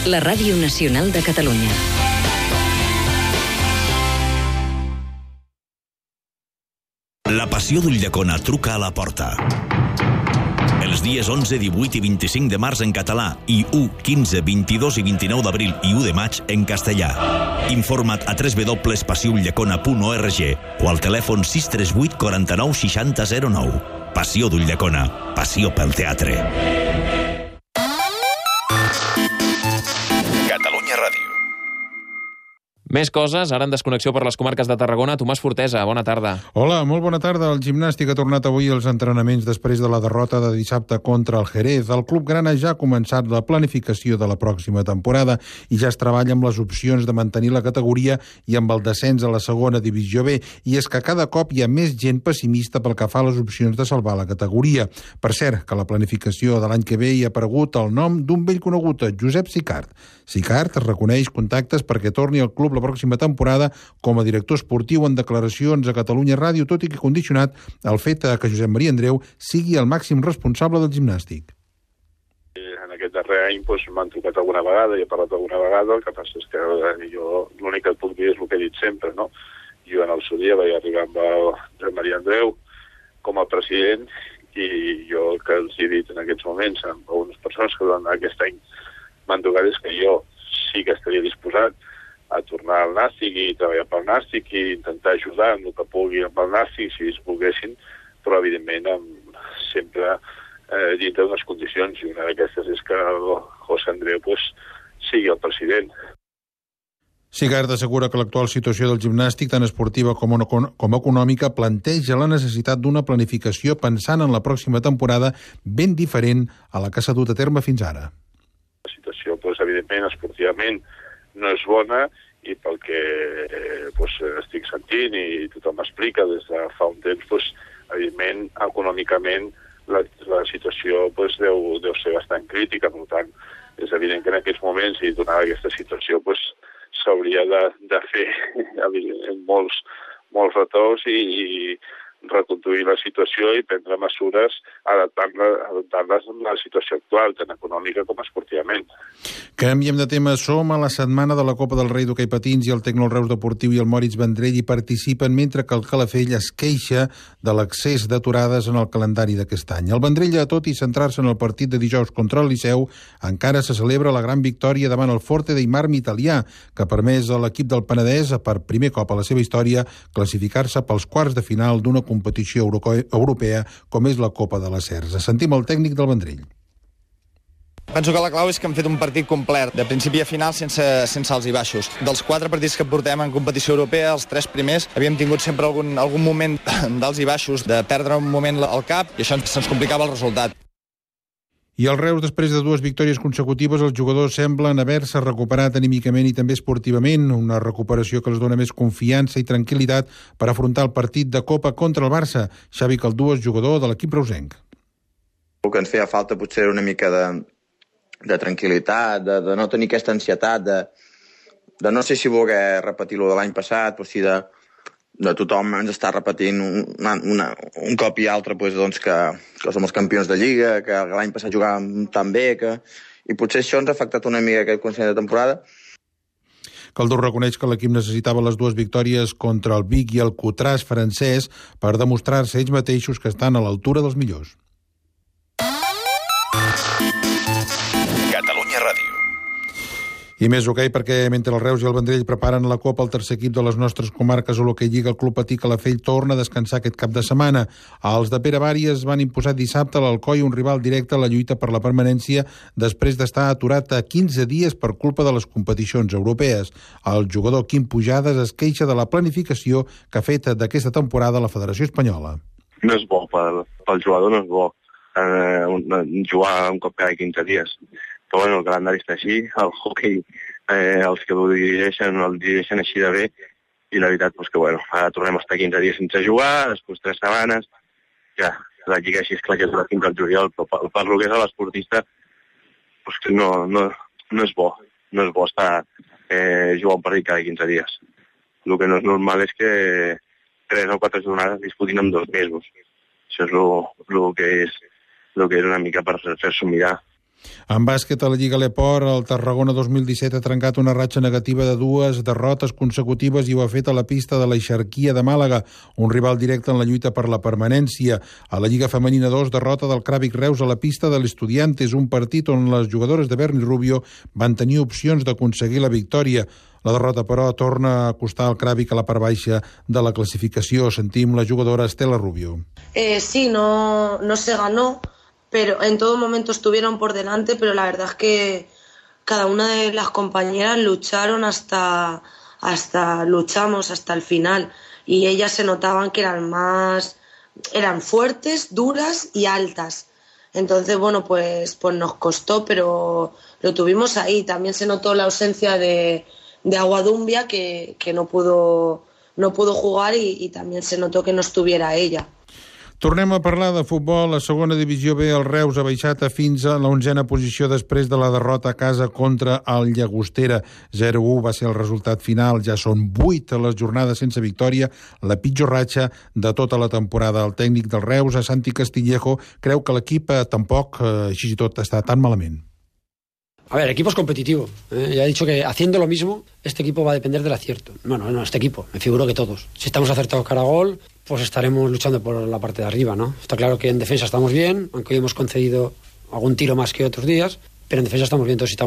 la Ràdio Nacional de Catalunya. La passió d'Ulldecona truca a la porta. Els dies 11, 18 i 25 de març en català i 1, 15, 22 i 29 d'abril i 1 de maig en castellà. Informa't a www.passioulllecona.org o al telèfon 638 49 60 09. Passió d'Ulldecona. Passió pel teatre. Catalunya Ràdio. Més coses, ara en desconnexió per les comarques de Tarragona. Tomàs Fortesa, bona tarda. Hola, molt bona tarda. El Gimnàstic ha tornat avui als entrenaments després de la derrota de dissabte contra el Jerez. El club grana ja ha començat la planificació de la pròxima temporada i ja es treballa amb les opcions de mantenir la categoria i amb el descens a la segona divisió B. I és que cada cop hi ha més gent pessimista pel que fa a les opcions de salvar la categoria. Per cert, que la planificació de l'any que ve hi ha aparegut el nom d'un vell conegut, Josep Sicart. Sicart es reconeix contactes perquè torni al club la pròxima temporada com a director esportiu en declaracions a Catalunya Ràdio, tot i que condicionat al fet que Josep Maria Andreu sigui el màxim responsable del Gimnàstic. En aquest darrer any m'han trucat alguna vegada i he parlat alguna vegada, el que passa és que jo l'únic que et puc dir és el que he dit sempre, no? Jo en el seu dia vaig arribar amb el Josep Maria Andreu com a president i jo el que els he dit en aquests moments amb algunes persones que durant aquest any m'han trucat és que jo sí que estaria disposat a tornar al Nàstic i treballar pel Nàstic i intentar ajudar en el que pugui amb el Nàstic si es volguessin, però evidentment sempre dintre d'unes condicions, i una d'aquestes és que el José Andreu sigui el president. Sicart assegura que l'actual situació del Gimnàstic, tant esportiva com econòmica, planteja la necessitat d'una planificació pensant en la pròxima temporada ben diferent a la que s'ha dut a terme fins ara. La situació, evidentment, esportivament, no és bona i pel que estic sentint i tothom m'explica des de fa un temps, evidentment, econòmicament la situació deu ser bastant crítica. Per tant, és evident que en aquests moments i donada aquesta situació s'hauria de fer molts retocs i reconduir la situació i prendre mesures adaptant-les a la situació actual, tant econòmica com esportivament. Canviem de tema. Som a la setmana de la Copa del Rei d'hoquei patins i el Tecno Reus Deportiu i el Moritz Vendrell hi participen, mentre que el Calafell es queixa de l'accés d'aturades en el calendari d'aquest any. El Vendrell, tot i centrar-se en el partit de dijous contra el Liceu, encara se celebra la gran victòria davant el Forte dei Marmi italià, que ha permès a l'equip del Penedès, per primer cop a la seva història, classificar-se pels quarts de final d'una competició europea com és la Copa de la Cersa. Sentim el tècnic del Vendrell. Penso que la clau és que hem fet un partit complet, de principi a final, sense alts i baixos. Dels 4 partits que portem en competició europea, els 3 primers, havíem tingut sempre algun moment d'alts i baixos, de perdre un moment al cap, i això se'ns complicava el resultat. I el Reus, després de 2 victòries consecutives, els jugadors semblen haver-se recuperat anímicament i també esportivament, una recuperació que els dona més confiança i tranquil·litat per afrontar el partit de Copa contra el Barça. Xavi Caldúa és jugador de l'equip reusenc. El que ens feia falta potser era una mica de tranquil·litat, de no tenir aquesta ansietat, de no sé si voler repetir-lo de l'any passat, o si de tothom ens està repetint un cop i altre que som els campions de Lliga, que l'any passat jugàvem tan bé, i potser això ens ha afectat una mica aquest començament de temporada. Caldú reconeix que l'equip necessitava les 2 victòries contra el Vic i el Cotràs francès per demostrar-se ells mateixos que estan a l'altura dels millors. Catalunya Ràdio. I més hoquei, perquè mentre el Reus i el Vendrell preparen la Copa, el tercer equip de les nostres comarques a l'hoquei Lliga, el Club Patí Calafell, torna a descansar aquest cap de setmana. Els de Pere Bàries van imposar dissabte a l'Alcoi, un rival directe a la lluita per la permanència, després d'estar aturat a 15 dies per culpa de les competicions europees. El jugador Quim Pujades es queixa de la planificació que ha fet d'aquesta temporada la Federació Espanyola. No és bo, pel jugador no és bo jugar un cop cada 15 dies. Però el calendari està així, el hoquei, els que el dirigeixen així de bé, i la veritat que ara tornem a estar 15 dies sense jugar, després 3 setmanes, ja, la lliga així és clar que dura fins al juliol, però per lo que és a l'esportista, no és bo estar jugant un partit cada 15 dies. El que no és normal és que 3 o 4 jornades disputin en 2 mesos. Això és el que és una mica per fer-s'ho mirar. En bàsquet, a la Lliga Leport, el Tarragona 2017 ha trencat una ratxa negativa de 2 derrotes consecutives i ho ha fet a la pista de l'Eixarquia de Màlaga, un rival directe en la lluita per la permanència. A la Lliga Femenina 2, derrota del Cràvic Reus a la pista de l'Estudiantes, un partit on les jugadores de Berni Rubio van tenir opcions d'aconseguir la victòria. La derrota, però, torna a costar al Cràvic a la part baixa de la classificació. Sentim la jugadora Estela Rubio. Sí, no se ganó, pero en todo momento estuvieron por delante, pero la verdad es que cada una de las compañeras luchamos hasta el final, y ellas se notaban que eran fuertes, duras y altas. Entonces, bueno, pues nos costó, pero lo tuvimos ahí. También se notó la ausencia de Aguadumbia, que no pudo jugar, y también se notó que no estuviera ella. Tornem a parlar de futbol. La segona divisió B, el Reus ha baixat fins a la 11a posició després de la derrota a casa contra el Llagostera. 0-1 va ser el resultat final. Ja són 8 les jornades sense victòria, la pitjor ratxa de tota la temporada. El tècnic del Reus, a Santi Castillejo, creu que l'equip tampoc, així i tot, està tan malament. A ver, el equipo es competitivo. Ya he dicho que haciendo lo mismo, este equipo va a depender del acierto. Bueno, no, este equipo, me figuro que todos. Si estamos acertados cara a gol, pues estaremos luchando por la parte de arriba, ¿no? Está claro que en defensa estamos bien, aunque hoy hemos concedido algún tiro más que otros días, pero en defensa estamos bien. Entonces, si estamos